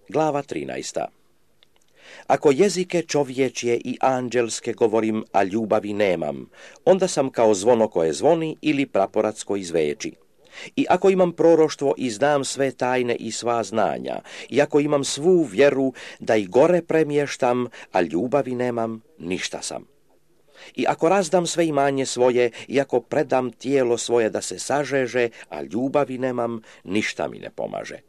Glava 13. Ako jezike čovječje i anđelske govorim, a ljubavi nemam, onda sam kao zvono koje zvoni ili praporac koji zveči. I ako imam proroštvo i znam sve tajne i sva znanja, i ako imam svu vjeru da i gore premještam, a ljubavi nemam, ništa sam. I ako razdam sve imanje svoje, i ako predam tijelo svoje da se sažeže, a ljubavi nemam, ništa mi ne pomaže.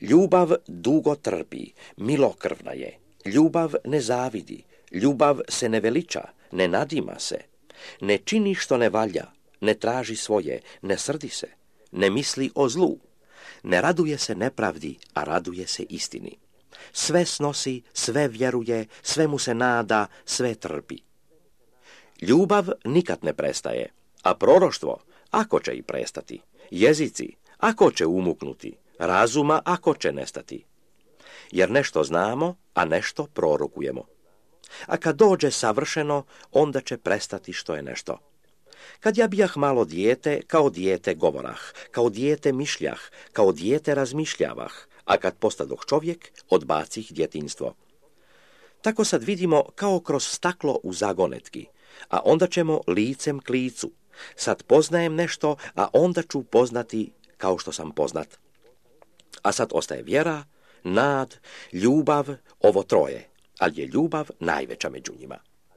Ljubav dugo trpi, milokrvna je. Ljubav ne zavidi, ljubav se ne veliča, ne nadima se. Ne čini što ne valja, ne traži svoje, ne srdi se, ne misli o zlu. Ne raduje se nepravdi, a raduje se istini. Sve snosi, sve vjeruje, sve mu se nada, sve trpi. Ljubav nikad ne prestaje, a proroštvo, ako će i prestati, jezici, ako će umuknuti, razuma, ako će nestati. Jer nešto znamo, a nešto prorokujemo. A kad dođe savršeno, onda će prestati što je nešto. Kad ja bijah malo dijete, kao dijete govorah, kao dijete mišljah, kao dijete razmišljavah, a kad postadoh čovjek, odbacih djetinjstvo. Tako sad vidimo kao kroz staklo u zagonetki, a onda ćemo licem k licu. Sad poznajem nešto, a onda ću poznati kao što sam poznat. A sad ostaje vjera, nad, ljubav, ovo troje, ali je ljubav najveća među njima.